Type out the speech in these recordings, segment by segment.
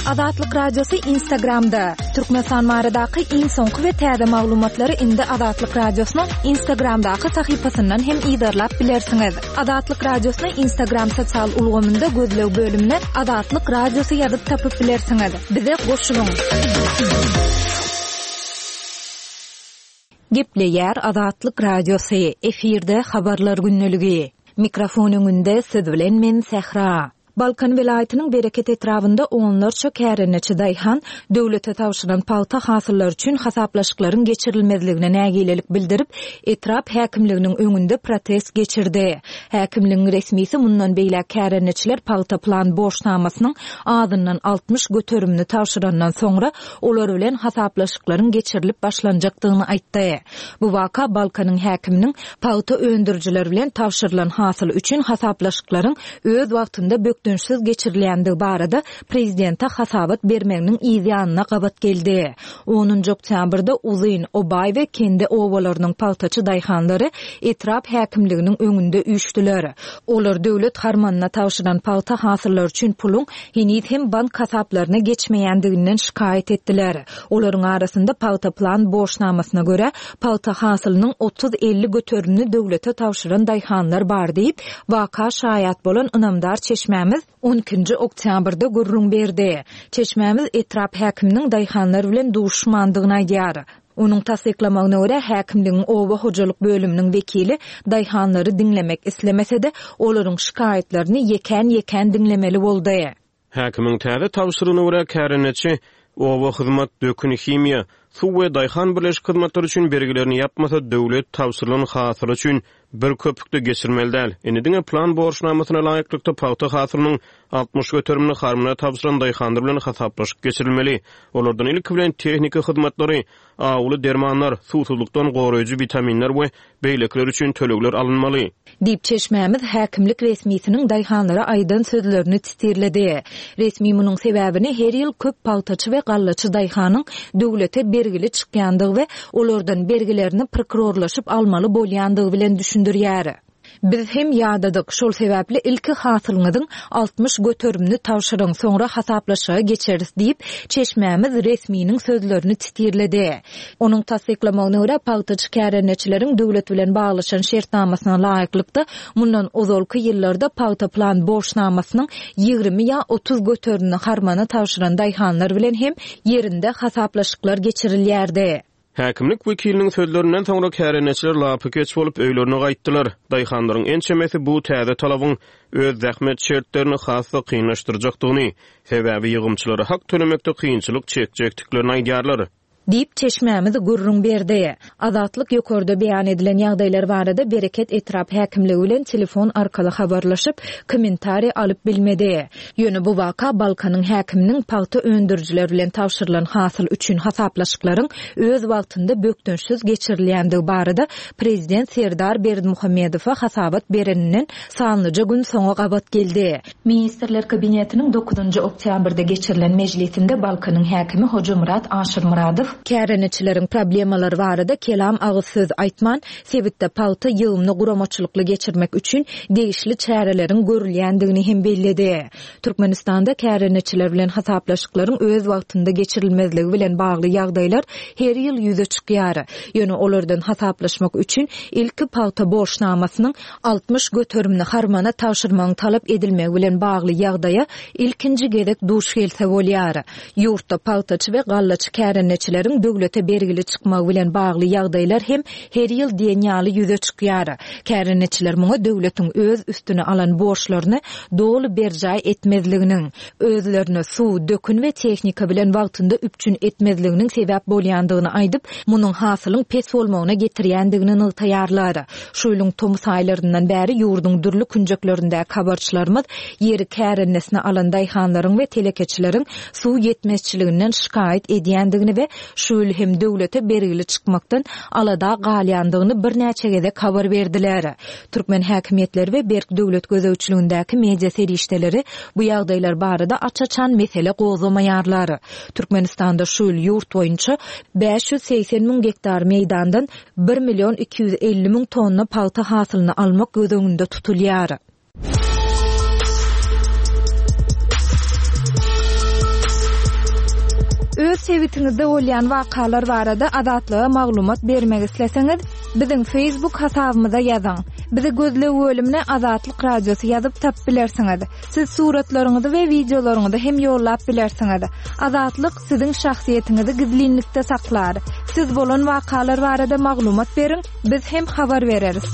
Azatlyk Radiosy Instagramda! Türkmenistan baradaky iň soňky we täze maglumatlary indi Azatlyk Radiosynyň Instagramdaky sahypasyndan hem yzarlap bilersiňiz. Azatlyk Radiosyny Instagram sosial ulgamynda gözleg bölümine Azatlyk Radiosy ýazyp tapyp bilersiňiz. Bize goşulyň! Gepleýär Azatlyk Radiosy, efirde Habarlar gündeligi. Mikrofon öňünde siz bilen men Sähra. Balkan welaýatynyň Bereket etrabynda onlarça kärendeçi daýhan döwlete tabşyran pagta hasyllary üçin hasaplaşyklaryň geçirilmezligine nägilelik bildirip, etrap häkimliginiň öňünde protest geçirdi. Häkimligiň resmisi mundan beýläk kärendeçiler pagta plan borçnamasynyň azyndan 60 göterimini tabşyrandan soňra olar bilen hasaplaşyklaryň geçirilip başlanjakdygyny aýtdy. Bu waka Balkanyň häkiminiň pagta öndürijiler bilen tabşyrylan hasyl üçin hasaplaşyklaryň öz wagtynda bökdençsiz geçirilýändigi barada prezidente hasabat bermeginiň yz ýanyna gabat geldi. Onunjy oktýabrda Uzyn, Obaý we Kende obalarynyň pagtaçy daýhanlary etrap häkimliginiň öňünde üýşdüler. Olar döwlet harmanyna tabşyran pagta hasyllary üçin puluň heniz hem bank hasaplaryna geçmeýändiginden şikaýat etdiler. Olaryň arasynda pagta plan borçnamasyna görä, pagta hasylynyň otuz-elli göterimini döwlete tabşyran daýhanlar bar diýip, waka şaýat bolan ynamdar çeşmämiz on ikinji oktýabrda gürrüň berdi. Çeşmämiz etrap häkiminiň daýhanlar bilen duşuşmandygyny aýdýar. Onuň tassyklamagyna görä, häkimligiň oba hojalyk bölüminiň wekili daýhanlary diňlemek islemese-de, olaryň şikaýatlaryny ýekän-ýekän diňlemeli boldy. Häkimiň täze tabşyrygyna görä, kärendeçi oba hyzmat, dökün, himiýa, suw we daýhan birleşik hyzmatlary üçin bergilerini ýapmasa, döwlet tabşyrylan hasyly üçin bir köpük-de geçirmeli däl. Indi diňe plan borçnamasyna laýyklykda pagta hasylynyň 60 göterimini harmana tabşyran daýhanlar bilen hasaplaşyk geçirilmeli. Olardan ilki bilen tehniki hyzmatlary, awuly dermanlar, suwsuzlykdan goraýjy witaminler we beýlekiler üçin tölegler alynmaly. Diýip, çeşmämiz häkimlik resmisiniň daýhanlara aýdan sözlerini titirledi. Resmi munuň sebäbini her ýyl köp pagtaçy we gallaçy daýhanyň döwlete bergili çykýandygy we olardan bergilerini prokurorlaşyp almaly bolýandygy bilen düşündirýär. Biz hem ýadadyk, şol sebäpli ilki hasylyňyzyň 60 göterimini tabşyryň, soňra hasaplaşyga geçeris diýip, çeşmämiz resminiň sözlerini titirledi. Onuň tassyklamagyna görä, pagtaçy kärendeçileriň döwlet bilen baglaşan şertnamasyna laýyklykda, mundan ozalky ýyllarda pagta plan borçnamasynyň 20 ýa 30 göterimini harmana tabşyran daýhanlar bilen hem ýerinde hasaplaşyklar geçirilýärdi. Häkimlik wekiliniň sözlerinden soňra kärendeçiler lapykeç bolup öýlerine gaýtdylar. Daýhanlaryň ençemesi bu täze talabyň öz zähmet şertlerini has-da kynlaşdyrjakdygyny, sebäbi ýygymçylara hak tölemekde kynçylyk çekjekdiklerini aýdýarlar. Diýip, çeşmämiz gürrüň berdi. Azatlyk ýokarda beýan edilen ýagdaýlar barada Bereket etrap häkimligi bilen telefon arkaly habarlaşyp, kommentariý alyp bilmedi. Ýöne bu waka Balkanyň häkiminiň pagta öndürijiler bilen tabşyrylan hasyl üçin hasaplaşyklaryň öz wagtynda bökdençsiz geçirilýändigi barada prezident Serdar Berdimuhamedowa hasabat bereninden sanlyja gün soňa gabat geldi. Ministrler Kabinetiniň dokuzynjy oktýabrda geçirilen mejlisinde Balkanyň häkimi Hojamyrat Aşyrmyradow, kärendeçileriň problemalary barada kelam agyz söz aýtman, sebitde pagta ýygymyny guramaçylykly geçirmek üçin degişli çäreleriň görülýändigini hem belledi. Türkmenistanda kärendeçiler bilen hasaplaşyklaryň öz wagtynda geçirilmezligi bilen bagly ýagdaýlar her ýyl ýüze çykýar. Ýöne olardan hasaplaşmak üçin ilki pagta borçnamasynyň 60 göterimini harmana tabşyrmagyň talap edilmegi bilen bagly ýagdaýa ilkinji gezek duş gelse bolýar. Ýurtda pagtaçy we gallaçy kärendeçileriň döwlete bergili çykmagy bilen bagly ýagdaýlar hem her ýyl diýen ýaly ýüze çykýar. Kärendeçiler muňa döwletiň öz üstüne alan borçlaryny doly berjaý etmezliginiň, özlerini suw, dökün we tehnika bilen wagtynda üpjün etmezliginiň sebäp bolýandygyny aýdyp, munuň hasylyň pes bolmagyna getirýändigini nygtaýarlar. Şu ýylyň tomus aýlaryndan bäri ýurduň dürli künjeklerindäki habarçylarymyz ýeri kärendesine alan daýhanlaryň we telekeçileriň suw ýetmezçiliginden şikaýat edýändigini we şu ýyl hem döwlete bergili çykmakdan alada galýandygyny birnäçe gezek habar berdiler. Türkmen häkimiýetleri we berk döwlet gözegçiligindäki media serişdeleri bu ýagdaýlar barada aç-açan mesele gozgamaýarlar. Türkmenistanda şu ýyl ýurt boýunça 580 müň gektar meýdandan bir million 250 müň tonna pagta hasylyny almak göz öňünde tutulýar. sebitiňizde bolýan wakalar barada Azatlyga maglumat bermek isleseňiz, biziň Facebook hasabymyza ýazyň. Bizi gözleg bölümine Azatlyk Radiosy ýazyp tapyp bilersiňiz. Siz suratlaryňyzy we wideolaryňyzy hem ýollap bilersiňiz. Azatlyk siziň şahsyýetiňizi gizlinlikde saklar. Siz bolan wakalar barada maglumat beriň, biz hem habar bereris.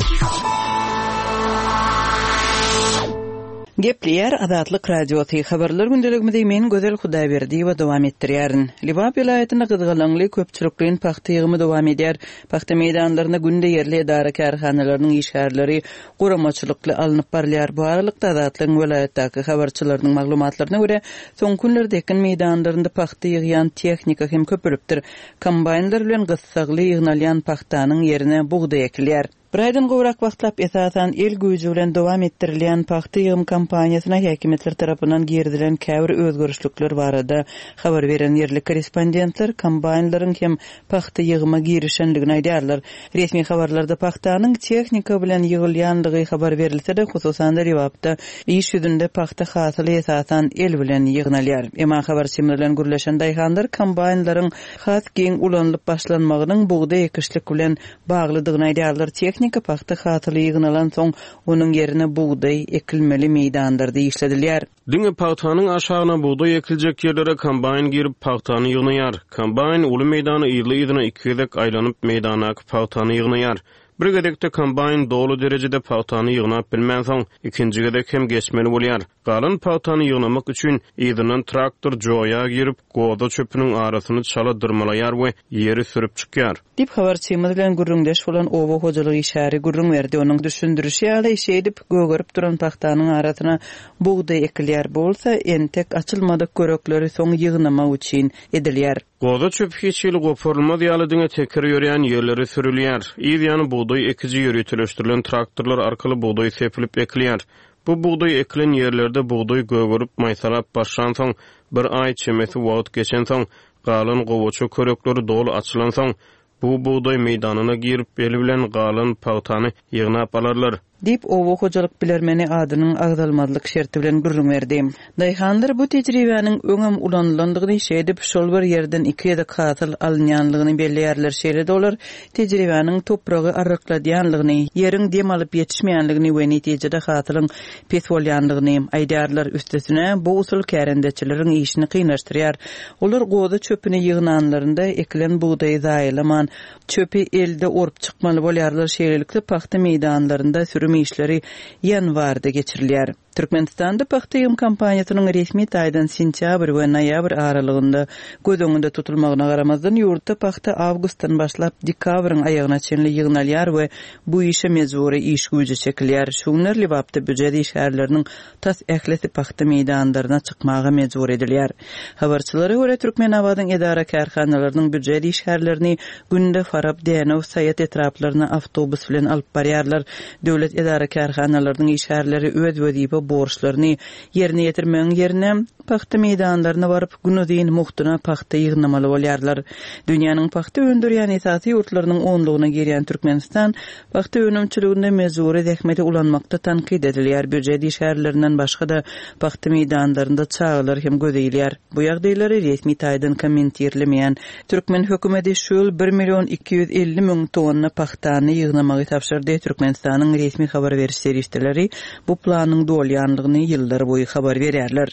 Gepleýär Azatlyk Radiosy, Habarlar gündeligimizi men Gözel Hudaýberdiýewa dowam etdirýärin. Lebap welaýatynda gyzgalaňly köpçülikleýin pagta ýygymy dowam edýär. Pagta meýdanlaryna günde ýerli edara-kärhanalarynyň işgärleri guramaçylykly alnyp barylýar. Bu aralykda, Azatlygyň welaýatdaky habarçylarynyň maglumatlaryna görä, soňky günlerde ekin meýdanlarynda pagta ýygýan tehnika hem köpelipdir. Kombaýnlar bilen gyssagly ýygnalýan pagtanyň ýerine bugdaý ekilýär. Bir aýdan gowrak wagtlap esasan el güýji bilen dowam etdirilýän pagta ýygym kampaniýasyna häkimiýetler tarapyndan girizilen käbir özgerişlikler barada habar beren ýerli korrespondentler kombaýnlaryň hem pagta ýygyma girişendigini aýdýarlar. Resmi habarlarda pagtanyň tehnika bilen ýygylýandygy habar berilse-de, hususan-da Lebapda iş ýüzünde pagta hasyly esasan el bilen ýygnalýar. Emma habarçymyz bilen gürleşen daýhanlar kombaýnlaryň has giň ulanylyp başlanmagynyň bugdaý ekişlik bilen baglydygyny aýdýarlar. Tehnika pagta hasyly ýygnalansoň, onuň ýerine bugdaý ekilmeli meýdanlarda işledilýär. Diňe pagtanyň aşagyna bugdaý ekiljek ýerlere kombaýn girip, pagtany ýygnaýar. Kombaýn uly meýdany yzly-yzyna iki gezek aýlanyp, meýdandaky pagtany ýygnaýar. Bir gezekde kombaýn doly derejede pagtany ýygnap bilmänsoň, ikinji gezek hem geçmeli bolýar. Galan pagtany ýygnamak üçin yzyndan traktor joýa girip, goza çöpüniň arasyny çala dyrmalaýar we ýeri sürüp çykýar. Diýip, habarçymyz bilen gürrüňdeş bolan oba hojalyk işgäri gürrüň berdi. Onuň düşündirişi ýaly, şeýdip, gögerip duran pagtanyň arasyna bugdaý ekilýär. Bu bolsa entek açylmadyk körekleri soň ýygnamak üçin edilýär. Goza çöpi hiç hili goparylmaz ýaly diňe teker ýörýän ýerlere sürülýär. Yz ýany bugdaý ekiji ýöriteleşdirilen traktorlar arkaly bugdaý sepilip ekilýär. Bu bugdaý ekilen ýerlerde bugdaý gögerip maýsalap başlansoň, bir aý çemesi wagt geçensoň, galan gowaça körekleri doly açylansoň, bu bugdaý meýdanyna girip, el bilen galan pagtany ýygnap alarlar. Diýip, oba hojalyk bilermeni adynyň agzalmazlyk şerti bilen gürrüň berdi. Daýhanlar bu tejribäniň öňem ulanylandygyny, şeýdip, şol bir ýerden iki gezek hasyl alynýanlygyny belleýärler. Şeýle-de olar tejribäniň topragy arrykladýanlygyny, ýeriň dem alyp ýetişmeýänligini we netijede hasylyň pes bolýanlygyny aýdýarlar. Üstesine, bu usul kärendeçileriň işini kynlaşdyrýar. Olar goza çöpüni ýygnanlarynda ekilen bugdaýy zaýalaman, çöpi elde orup çykmaly bolýarlar. Şeýlelikde, pagta meýdanlarynda sürüm işleri ýanwarda geçirilýär. Türkmenistanda pagta ýygym kampaniýasynyň resmi taýdan sentýabr we noýabr aralygynda göz öňünde tutulmagyna garamazdan, ýurtda pagta awgustdan başlap dekabryň aýagyna çenli ýygnalýar we bu işe mejbury iş güýji çekilýär. Şu günler Lebapda býujet işgärleriniň tas ählisi pagta meýdanlaryna çykmaga mejbur edilýär. Habarçylara görä, Türkmenabadyň edara-kärhanalarynyň býujet işgärlerini günde Farap, Dänew, Saýat etraplaryna awtobus bilen alyp barýarlar. Döwlet edara-kärhanalarynyň işgärleri öz wezipe borçlaryny ýerine ýetirmegiň ýerine, pagta meýdanlaryna baryp, günuzyn mugtuna pagta ýygnamaly bolýarlar. Dünýäniň pagta öndürýän esasy ýurtlarynyň onlugyna girýän Türkmenistan pagta önümçiliginde mejbury zähmeti ulanmakda tankyt edilýär, býujet işgärlerinden başga-da, pagta meýdanlarynda çagalar hem göze ilýär. Bu ýagdaýlary resmi taýdan kommentirlemeýän türkmen hökümeti şu ýyl bir million 250 müň tonna pagtany ýygnamagy tabşyrdy. Türkmenistanyň resmi habar beriş serişdeleri bu planyň dolýanlygyny ýyllar boýy habar berýärler.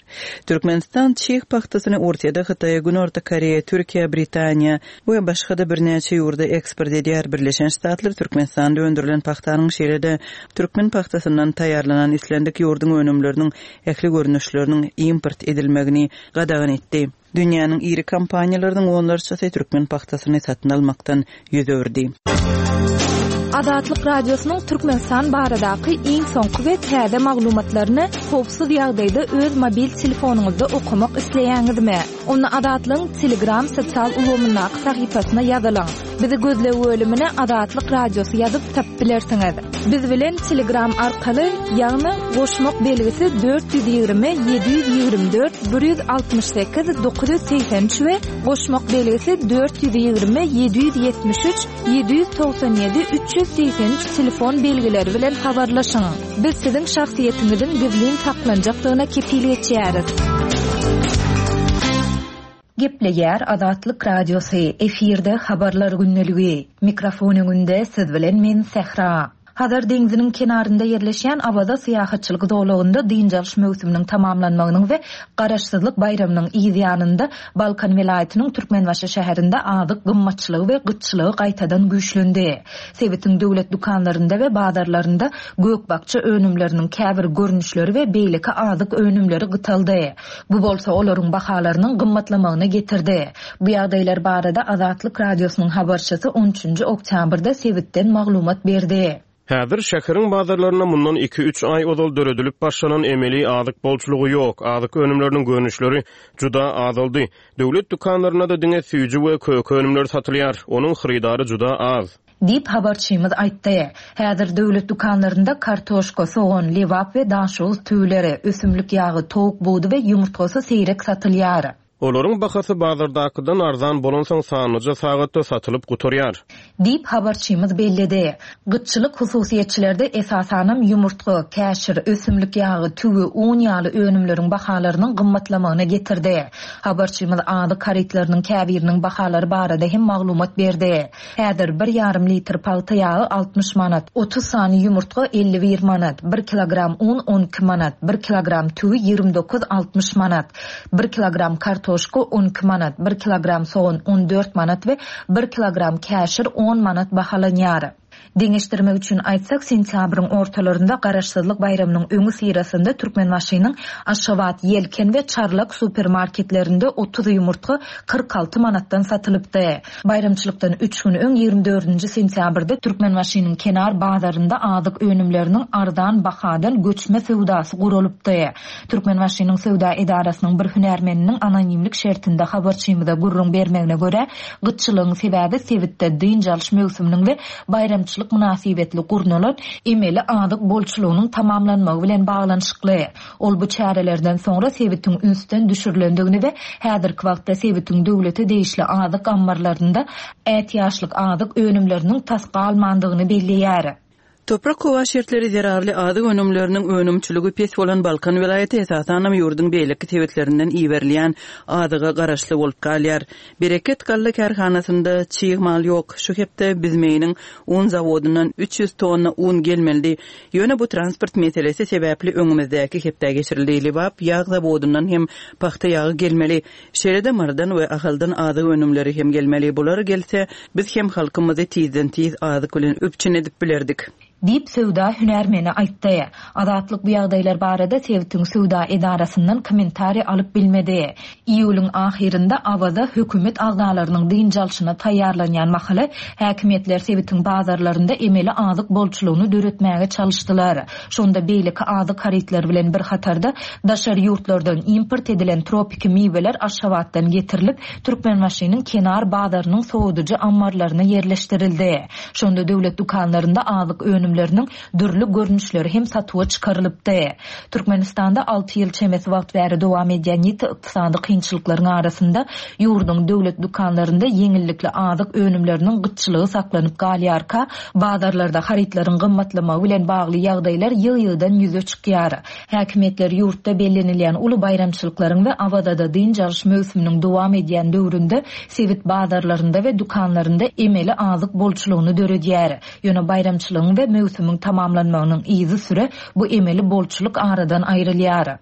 Türkmenistan çig pagtasyny Orsýete, Hytaýa, Günorta Koreýa, Türkiýä, Britaniýa we başga-da birnäçe ýurda eksport edýär. Birleşen Ştatlar Türkmenistanda öndürilen pagtanyň, şeýle-de türkmen pagtasyndan taýýarlanan islendik ýurduň önümleriniň ähli görnüşleriniň import edilmegini gadagan etdi. Dünýäniň iri kompaniýalarynyň onlarçasy türkmen pagtasyny satyn almakdan ýüz öwürdi. Azatlyk Radiosynyň Türkmenistan baradaky iň soňky we täze maglumatlaryny howpsuz ýagdaýda öz mobil telefonyňyzda okamak isleýäňizmi? Onda Azatlygyň Telegram sosial ulgamyndaky sahypasyna ýazylyň. Bizi gözleg bölümine Azatlyk Radiosy ýazyp tapyp bilersiňiz. Biz bilen Telegram arkaly, ýagny goşmak belgisi 420 724 168 983 we goşmak belgisi 420 773 797 383 telefon belgileri bilen habarlaşyň. Biz siziň şahsyýetiňiziň gizlin saklanjakdygyna kepil geçýäris. Gepleýär Azatlyk Radiosy, efirde Habarlar gündeligi. Mikrofon öňünde siz bilen men Sähra. Hazar deňziniň kenarynda ýerleşýän Awaza syýahatçylyk zolagynda dynç alyş möwsüminiň tamamlanmagynyň we Garaşsyzlyk baýramynyň yz ýanynda Balkan welaýatynyň Türkmenbaşy şäherinde azyk gymmatçylygy we gytçylygy gaýtadan güýçlendi. Sebitiň döwlet dükanlarynda we bazarlarynda gök-bakja önümleriniň käbir görnüşleri we beýleki azyk önümleri gytaldy. Bu bolsa olaryň bahalarynyň gymmatlamagyna getirdi. Bu ýagdaýlar barada Azatlyk Radiosynyň habarçysy on üçünji oktýabrda sebitden maglumat berdi. Häzir şäheriň bazarlarynda mundan iki-üç aý ozal döredilip başlanan emeli azyk bolçulygy ýok, azyk önümleriniň görnüşleri juda azaldy. Döwlet dükanlarynda-da diňe süýji we köke önümleri satylýar, onuň hyrydary juda az. Diýip, habarçymyz aýtdy. Häzir döwlet dükanlarynda kartoşka, sogan, lebap we daşoguz tüwüleri, ösümlik ýagy, towuk budy we ýumurtgasy seýrek satylýar. Olaryň bahasy bazardakydan arzan bolansoň sanlyja sagatda satylyp gutarýar. Diýip, habarçymyz belledi. Gytçylyk hususyýetçilerde esasanam ýumurtga, käşir, ösümlik ýagy, tüwi, un ýaly önümleriň bahalarynyň gymmatlamagyna getirdi. Habarçymyz azyk harytlarynyň käbiriniň bahalary barada hem maglumat berdi. Häzir bir ýarym litr pagta ýagy 60 manat, 30 sany ýumurtga 51 manat, bir kilogram un 12 manat, bir kilogram tüwi 29 60 manat, bir kilogram kartoşka 12 manat, bir kilogram sogan 14 manat we bir kilogram käşir on manat bahalanýar. Deňeşdirmek üçin aýtsak, sentýabryň ortalarynda Garaşsyzlyk baýramynyň öňüsyrasynda Türkmenbaşynyň Aşgabat, Ýelken we Çarlak supermarketlerinde 30 ýumurtga 46 manatdan satylypdy. Baýramçylykdan üç gün öň, 24-nji sentýabrda Türkmenbaşynyň Kenar bazarynda azyk önümleriniň arzan bahadan göçme söwdasy guralypdy. Türkmenbaşynyň söwda edarasynyň bir hünärmeniniň anonimlik şertinde habarçymyza gürrüň bermegine görä, gytçylygyň sebäbi sebitde dynç alyş möwsüminiň we baýramçylyk mynasybetli gurnalan emeli azyk bolçulygynyň tamamlanmagy bilen baglanyşykly. Ol bu çärelerden soňra sebitiň ünsden düşürilendigini we häzirki wagtda sebitiň döwlete degişli azyk ammarlarynda ätiýaçlyk azyk önümleriniň tas galmandygyny belleýär. Toprak-howa şertleri zerarly azyk önümleriniň önümçiligi pes bolan Balkan welaýaty esasanam ýurduň beýleki sebitlerinden iberilýän azyga garaşly bolup galýar. Bereket galla kärhanasynda çig mal ýok. Şu hepde Büzmeýiniň un zawodyndan 300 tonna un gelmelidi. Ýöne bu transport meselesi sebäpli öňümizdäki hepdä geçirildi. Lebap ýag zawodyndan hem pagta ýagy gelmeli. Şeýle-de Marydan we Ahaldan azyk önümleri hem gelmeli. Bular gelse, biz hem halkymyzy tizden-tiz azyk bilen üpjün edip bilerdik. Diýip, söwda hünärmeni aýtdy. Azatlyk bu ýagdaýlar barada sebitiň söwda edarasyndan kommentariý alyp bilmedi. Iýulyň ahyrynda Awaza hökümet agzalarynyň dynç alşyna taýýarlanýan mahaly, häkimiýetler sebitiň bazarlarynda emeli azyk bolçulygyny döretmäge çalyşdylar. Şonda beýleki azyk harytlary bilen bir hatarda, daşary ýurtlardan import edilen tropiki miweler Aşgabatdan getirilip, Türkmenbaşynyň Kenar bazarynyň sowadyjy ammarlaryna ýerleşdirildi. Şonda döwlet dükanlarynda azyk önümleriniň dürli görnüşleri hem satuwa çykarylypdy. Türkmenistanda alty ýyl çemesi wagt bäri dowam edýän ýiti ykdysady kynçylyklaryň arasynda ýurduň döwlet dükanlarynda ýeňillikli azyk önümleriniň gytçylygy saklanyp galýarka, bazarlarda harytlaryň gymmatlamagy bilen bagly ýagdaýlar ýygy-ýygydan ýüze çykýar. Häkimiýetler ýurtda bellenilýän uly baýramçylyklaryň we Awazada dynç alyş möwsüminiň dowam edýän döwründe sebit bazarlarynda we dükanlarynda emeli azyk bolçulygyny döredýär. Ýöne baýramçylygyň we möwsümiň tamamlanmagynyň yzysüre bu emeli bolçulyk aradan aýrylýar.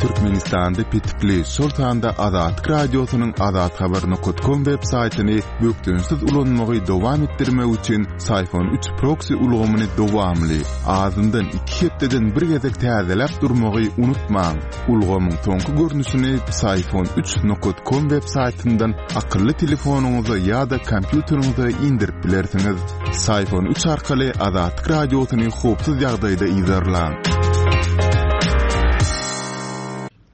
Türkmenistanda petikli, şol sanda Azatlyk Radiosynyň azathabar nokat kom web saýtyny bökdençsiz ulanmagy dowam etdirmek üçin Syphon 3 proksi ulgamyny dowamly, azyndan iki hepdeden bir gezek täzeläp durmagy unutmaň. Ulgamyň soňky görnüşini Psiphon 3 nokat kom web saýtyndan akylly telefonyňyza ýa-da kompýuteriňize indirip bilersiňiz. Syphon 3 arkaly Azatlyk Radiosyny howpsuz ýagdaýda yzarlaň.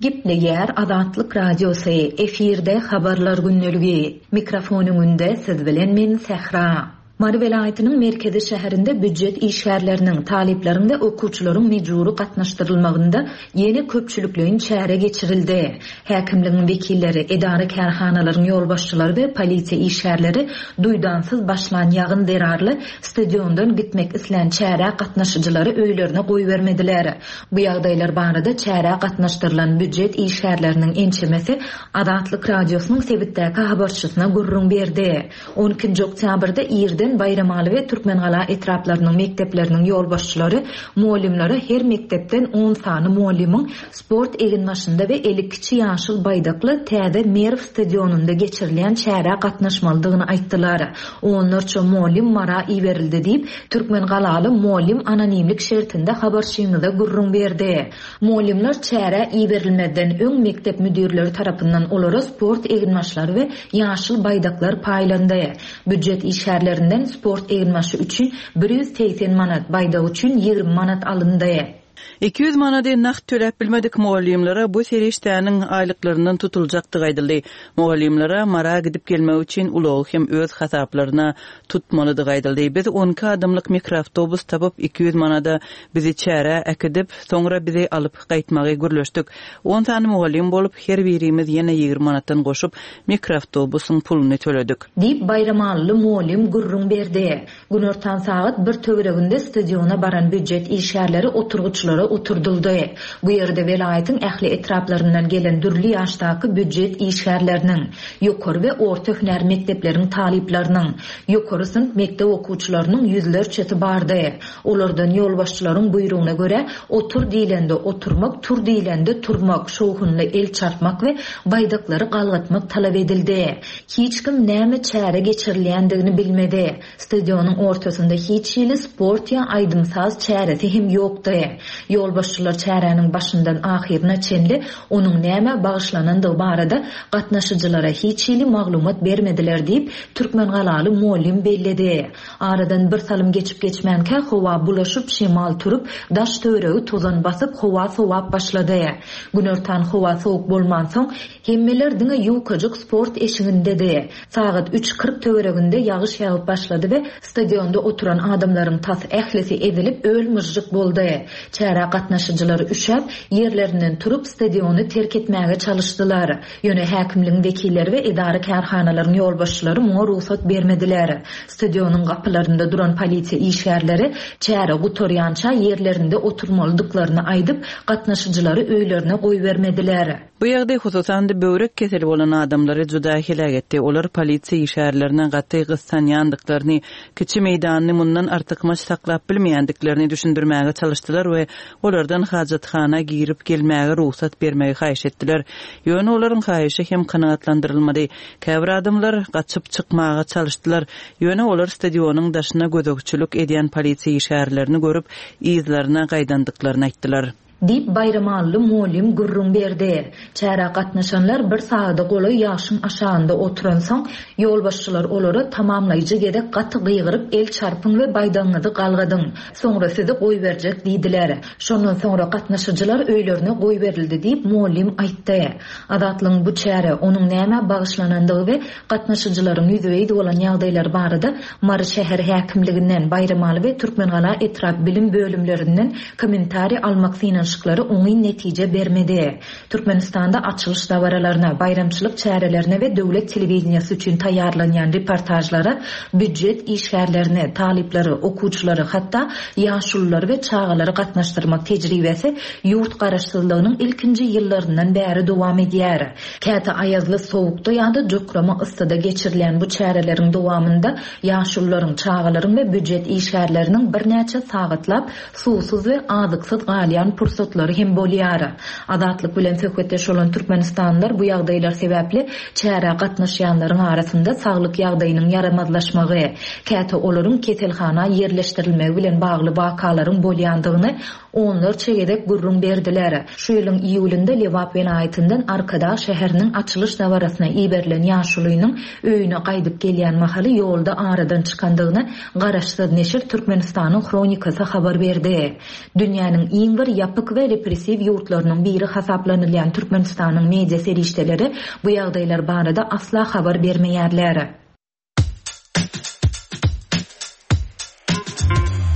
Gepleýär Azatlyk Radiosy, efirde Habarlar gündeligi. Mikrofon öňünde siz bilen men Sähra. Mary welaýatynyň merkezi şäherinde býujet işgärleriniň, talyplaryň we okuwçylaryň mejbury gatnaşdyrylmagynda ýene köpçülikleýin çäre geçirildi. Häkimligiň wekilleri, edara-kärhanalaryň ýolbaşçylary we polisiýa işgärleri duýdansyz başlan ýagyn zerarly stadiondan gitmek islän çärä gatnaşyjylary öýlerine goýbermediler. Bu ýagdaýlar barada çärä gatnaşdyrylan býujet işgärleriniň ençemesi Azatlyk Radiosynyň sebitdäki habarçysyna gürrüň berdi. On ikinji oktýabrda irden Baýramaly we Türkmengala etraplarynyň mekdepleriniň ýolbaşçylary mugallymlara her mekdepden on sany mugallymyň sport eginbaşynda we eli kiçi ýaşyl baýdakly täze Merw stadionynda geçirilýän çärä gatnaşmalydygyny aýtdylar. Onlarça mugallym Mara iberildi diýip, türkmengalaly mugallym anonimlik şertinde habarçymyza gürrüň berdi. Mugallymlar çärä iberilmezden öň mekdep müdirleri tarapyndan olara sport eginbaşlary we ýaşyl baýdaklar paýlandy. Býujet işgärlerinden sport eginbaşy üçin 180 manat, baýdak üçin 20 manat alyndy. 200 manady nagt töläp bilmedik mugallymlara bu serişdäniň aýlyklaryndan tutuljakdygy aýdyldy. Mugallymlara Mara gidip gelmek üçin ulagy hem öz hasaplaryna tutmalydygy aýdyldy. Biz on iki adamlyk mikroawtobus tapyp, 200 manada bizi çärä äkidip, soňra bizi alyp gaýtmagy gürleşdik. On sany mugallym bolup, her birimiz ýene 20 manatdan goşup, mikroawtobusyň puluny töledik. Diýip, baýramalyly mugallym gürrüň berdi. Günortan sagat bir töwereginde stadiona baran býujet işgärleri oturgyçlara oturdyldy. Bu ýerde welaýatyň ähli etraplaryndan gelen dürli ýaşdaky býujet işgärleriniň, ýokary we orta hünär mekdepleriň talyplarynyň, ýokary synp mekdep okuwçylarynyň ýüzlerçesi bardy. Olardan ýolbaşçylaryň buýrugyna görä, otur diýlende oturmak, tur diýlende turmak, şowhunly el çarpmak we baýdaklary galgatmak talap edildi. Hiç kim näme çäre geçirilýändigini bilmedi. Stadionyň ortasynda hiç hili sport ýa aýdym-saz çäresi hem ýokdy. Ýolbaşçylar çäräniň başyndan ahyryna çenli onuň nämä bagyşlanandygy barada gatnaşyjylara hiç hili maglumat bermediler diýip, türkmengalaly mugallym belledi. Aradan bir salym geçip-geçmänkä howa bulaşyp, şemal turup, daş-töweregi tozan basyp, howa sowap başlady. Günortan howa sowuk bolmansoň, hemmeler diňe ýukajyk sport eşigindedi. Sagat üç 40 töwereginde ýagyş ýagyp başlady we stadionda oturan adamlaryň tas ählisi ezilip öl-myžžyk boldy. Çärä gatnaşyjylar üşäp, ýerlerinden turup, stadiony terk etmäge çalyşdylar. Ýöne häkimligiň wekilleri we edara-kärhanalaryň ýolbaşçylary muňa rugsat bermediler. Stadionyň gapylarynda duran polisiýa işgärleri çäre gutarýança ýerlerinde oturmalydyklaryny aýdyp, gatnaşyjylary öýlerine goýbermediler. Bu ýagdaý hususan-da böwrek keseli bolan adamlary juda heläk etdi. Olar polisiýa işgärlerine gaty gyssanýandyklaryny, kiçi meýdanyny mundan artykmaç saklap bilmeýändiklerini düşündirmäge çalyşdylar we olardan hajathana girip gelmäge rugsat bermegi haýyş etdiler. Ýöne olaryň haýyşy hem kanagatlandyrylmady. Käbir adamlar gaçyp çykmaga çalyşdylar, ýöne olar stadionyň daşyna gözegçilik edýän polisiýa işgärlerini görüp, yzlaryna gaýdandyklaryny aýtdylar. Diýip, baýramally mugallym gürrüň berdi. Çärä gatnaşanlar bir sagada golaý ýagşyň aşagynda oturansoň, ýolbaşçylar olara tamamlaýjy gezek gaty gygyryp el çarpyň we baýdagyňyzy galgadyň, soňra sizi goýberjek diýdiler. Şondan soňra gatnaşyjylar öýlerine goýberildi diýip, mugallym aýtdy. Azatlygyň bu çärä, onuň nämä bagyşlanandygy we gatnaşyjylaryň ýüzbe-ýüz bolan ýagdaýlary barada Mary şäher häkimliginden, Baýramaly we Türkmengala etrap bilim bölümlerinden kommentariý almak synanyşyklary oňyn netije bermedi. Türkmenistanda açylyş dabaralaryna, baýramçylyk çärelerine we döwlet telewideniýesi üçin taýýarlanýan reportažlara býujet işgärlerini, talyplary, okuwçylary, hatda ýaşululary we çagalary gatnaşdyrmak tejribesi ýurt garaşsyzlygynyň ilkinji ýyllaryndan bäri dowam edýär. Käte aýazly sowukda ýa-da jokrama yssyda geçirilýän bu çäreleriň dowamynda ýaşulularyň, çagalaryň we býujet işgärleriniň birnäçe sagatlap suwsuz we azyksyz galýan pursatlary hem bolýar. Azatlyk bilen söhbetdeş bolan türkmenistanlylar bu ýagdaýlar sebäpli çärä gatnaşýanlaryň arasynda saglyk ýagdaýynyň ýaramazlaşmagy, käte olaryň keselhana ýerleşdirilmegi bilen bagly wakalaryň bolýandygyny onlarça gezek gürrüň berdiler. Şu ýylyň iýulynda Lebap welaýatyndan Arkadag şäheriniň açylyş dabarasyna iberilen ýaşulynyň öýüne gaýdyp gelýän mahaly ýolda aradan çykandygyny garaşsyz neşir Türkmenistanyň Hronikasy habar berdi. Dünýäniň iň bir ýapyk we repressiw ýurtlarynyň biri hasaplanylýan Türkmenistanyň media serişdeleri bu ýagdaýlar barada asla habar bermeýärler.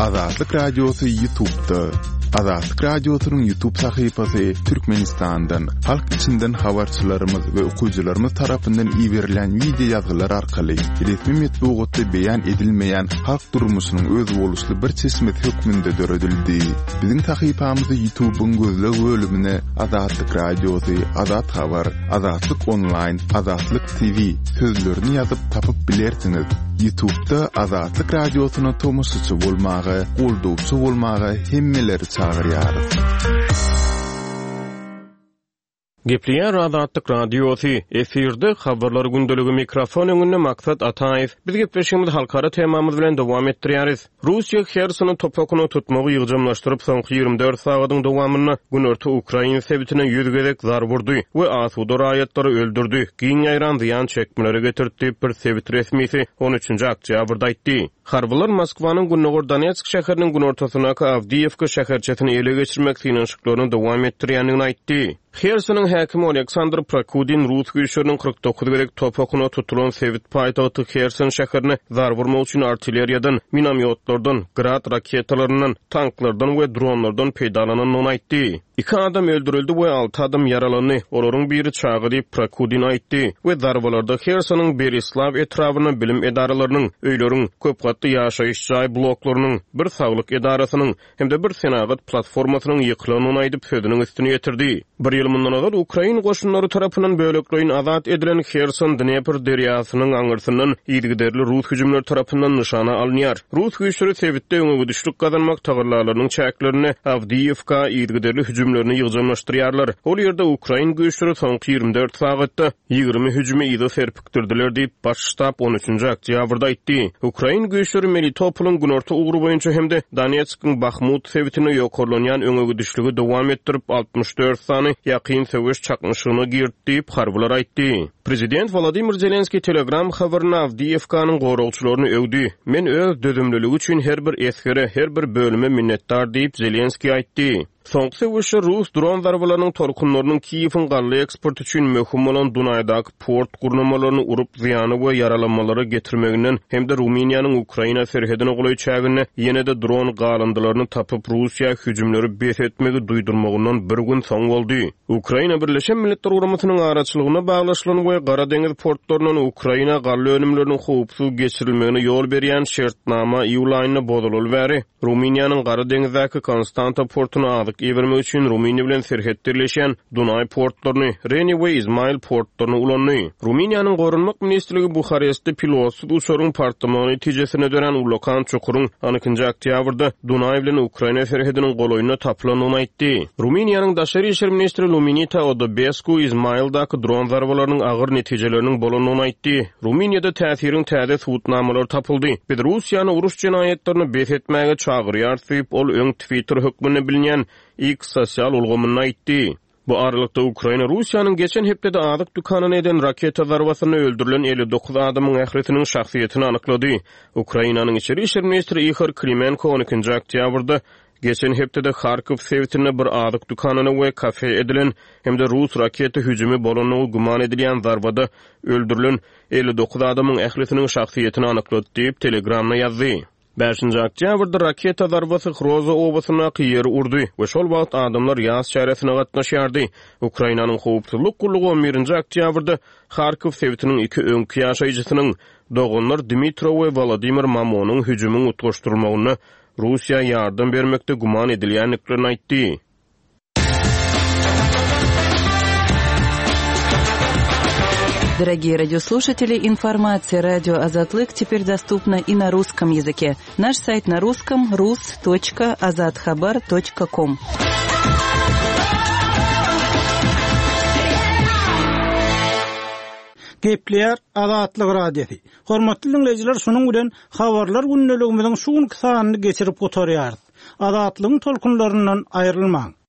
Azatlyk Radiosy Ýutubda. Azatlyk Radiosynyň Ýutub sahypasy Türkmenistandan, halk içinden habarçylarymyz we okyjylarymyz tarapyndan iberilýän wideo ýazgylar arkaly resmi metbugatda beýan edilmeýän halk durmuşynyň özboluşly bir çeşmesi hökmünde döredildi. Biziň sahypamyzy Ýutubyň gözleg bölümine Azatlyk Radiosy, Azat Habar, Azatlyk Onlaýn, Azatlyk TV sözlerini ýazyp tapyp bilersiňiz. Ýutubda Azatlyk Radiosyna tomaşaçy bolmaga, goldawçy bolmaga hemmeleri çagyrýarys. Gepleýär Azatlyk Radiosy, efirde Habarlar gündeligi mikrofon öňünde Maksat Ataýew. Biz gepleşigimizi halkara temamyz bilen dowam etdirýäris. Russiýa Hersony top okuna tutmagy ýygjamlaşdyryp, soňky 24 sagadyň dowamynda günorta ukrain sebitine 100 gezek zarba urdy we asuda raýatlary öldürdi, giň ýaýran zyýan çekmelere getirdi diýip, bir sebit resmisi on üçünji oktýabrda aýtdy. Harbylar Moskwanyň gündogar Donetsk şäheriniň günortasyndaky Awdiýewka şäherçesini ele geçirmek synanyşyklaryny dowam etdirýändigini aýtdy. Hersonyň häkimi Oleksandr Prokudin rus güýçleriniň 49 gezek top okuna tutulan sebit paýtagty Herson şäherine zarba urmak üçin artilleriýadan, minomýotlardan, Grad raketalaryndan, tanklardan we dronlardan peýdalanandygyny aýtdy. Iki adam öldürildi we alty adam ýaralandy, olaryň biri çaga diýip, Prokudin aýtdy we zarbalarda Hersonyň Berislaw etrabynda bilim edaralarynyň, öýleriň, köp gatly ýaşaýyş jaý bloklarynyň, bir saglyk edarasynyň hem-de bir senagat platformasynyň ýykylandygyny aýdyp, sözüniň üstüni ýetirdi. Bir ýyl mundan ozal ukrain goşunlary tarapyndan bölekleýin azat edilen Herson Dnepr derýasynyň aňyrsyndan yzygiderli rus hüjümleri tarapyndan nyşana alynýar. Rus güýçleri sebitde öňegidişlik gazanmak tagallalarynyň çäklerinde Awdiýewka yzygiderli hüjümlerini ýygjamlaşdyrýarlar. Ol ýerde ukrain güýçleri soňky 24 sagatda 20 hüjümi yza serpikdirdiler diýip, Baş ştab on üçünji oktýabrda aýtdy. Ukrain güýçleri Melitopolyň günorta ugry boýunça hem-de Donetskiň Bahmut sebitinde ýokarlanýan öňegidişligi dowam etdirip, 64 sany ýakyn söweş çaknyşygyna girdi diýip, harbylar aýtdy. Prezident Wolodymyr Zelenskiý Telegram habarynda Awdiýewkanyň goragçylaryny öwdi. Men öz dözümliligi üçin her bir esgere, her bir bölüme minnetdar diýip, Zelenskiý aýtdy. Soňky söweşde rus dron zarbalarynyň tolkunlarynyň Kiýewiň galla eksporty üçin möhüm bolan Dunaýdaky port gurnamalaryny urup, zyýana we ýaralanmalara getirmeginden hem-de Rumyniýanyň Ukraina serhedine golaý çäginde ýene-de dron galyndylaryny tapyp, Russiýa hüjümleri bes etmegi duýdurmagyndan bir gün soň boldy. Ukraina Birleşen Milletler Guramasynyň araçylygynda baglaşylan we Gara deňiz portlaryndan Ukraina galla önümleriniň howpsuz geçirilmegine ýol berýän şertnama iýul aýynda bozulaly bäri, Rumyniýanyň Gara deňizdäki Konstanta portuna azyk ibermek üçin Rumyniýa bilen serhetde ýerleşýän Dunaý portlaryny, Reni we Izmail portlaryny ulandy. Rumyniýanyň Goranmak ministrligi Buharestde pilotsyz uçaryň partlamagy netijesinde dörän ullakan çukuryň on ikinji oktýabrda Dunaý bilen Ukraina serhediniň golaýynda tapylandygyny aýtdy. Rumyniýanyň daşary işler ministri Luminita Odobesku Izmaildaky dron zarbalarynyň agyr netijeleriniň bolandygyny aýtdy. Rumyniýada täsiriň täze subutnamalary tapyldy. Biz Russiýany uruş jenaýatlaryny bes etmäge çagyrýarys diýip, ol öň Twitter hökmünde bilinýän X sosial ulgamynda aýtdy. Bu aralykda, Ukraina Russiýanyň geçen hepdede azyk dükanyna eden raketa zarbasynda öldürilen 59 adamyň ählisiniň şahsyýetini anyklady. Ukrainanyň içeri işler ministri Ihor Klimenko on ikinji oktýabrda geçen hepdede Harkow sebitinde bir azyk dükanyna we kafe edilen hem-de rus raketa hüjümi bolandygy güman edilýän zarbada öldürilen 59 adamyň ählisiniň şahsyýetini anyklady diýip, Telegramda ýazdy. Bäşinji oktýabrda raketa zarbasy Hroza obasyndaky ýeri urdy we şol wagt adamlar ýas çäresine gatnaşýardy. Ukrainanyň howpsuzlyk gullugy on birinji oktýabrda Harkow sebitiniň iki öňki ýaşaýjysynyň, doganlar Dmitro we Wolodymyr Mamonyň hüjümiň utgaşdyrylmagynda Russiýa ýardam bermekde güman edilýändiklerini aýtdy. Дорогие радиослушатели, информация радио Азатлык теперь доступна и на русском языке. Наш сайт на русском rus.azathabar.com. Gepleýär Azatlyk Radiosy. Hormatly diňleýjiler, şunuň bilen Habarlar gündeligimiziň şu günki sanyny geçirip gutarýarys. Azatlygyň tolkunlaryndan aýrylmaň!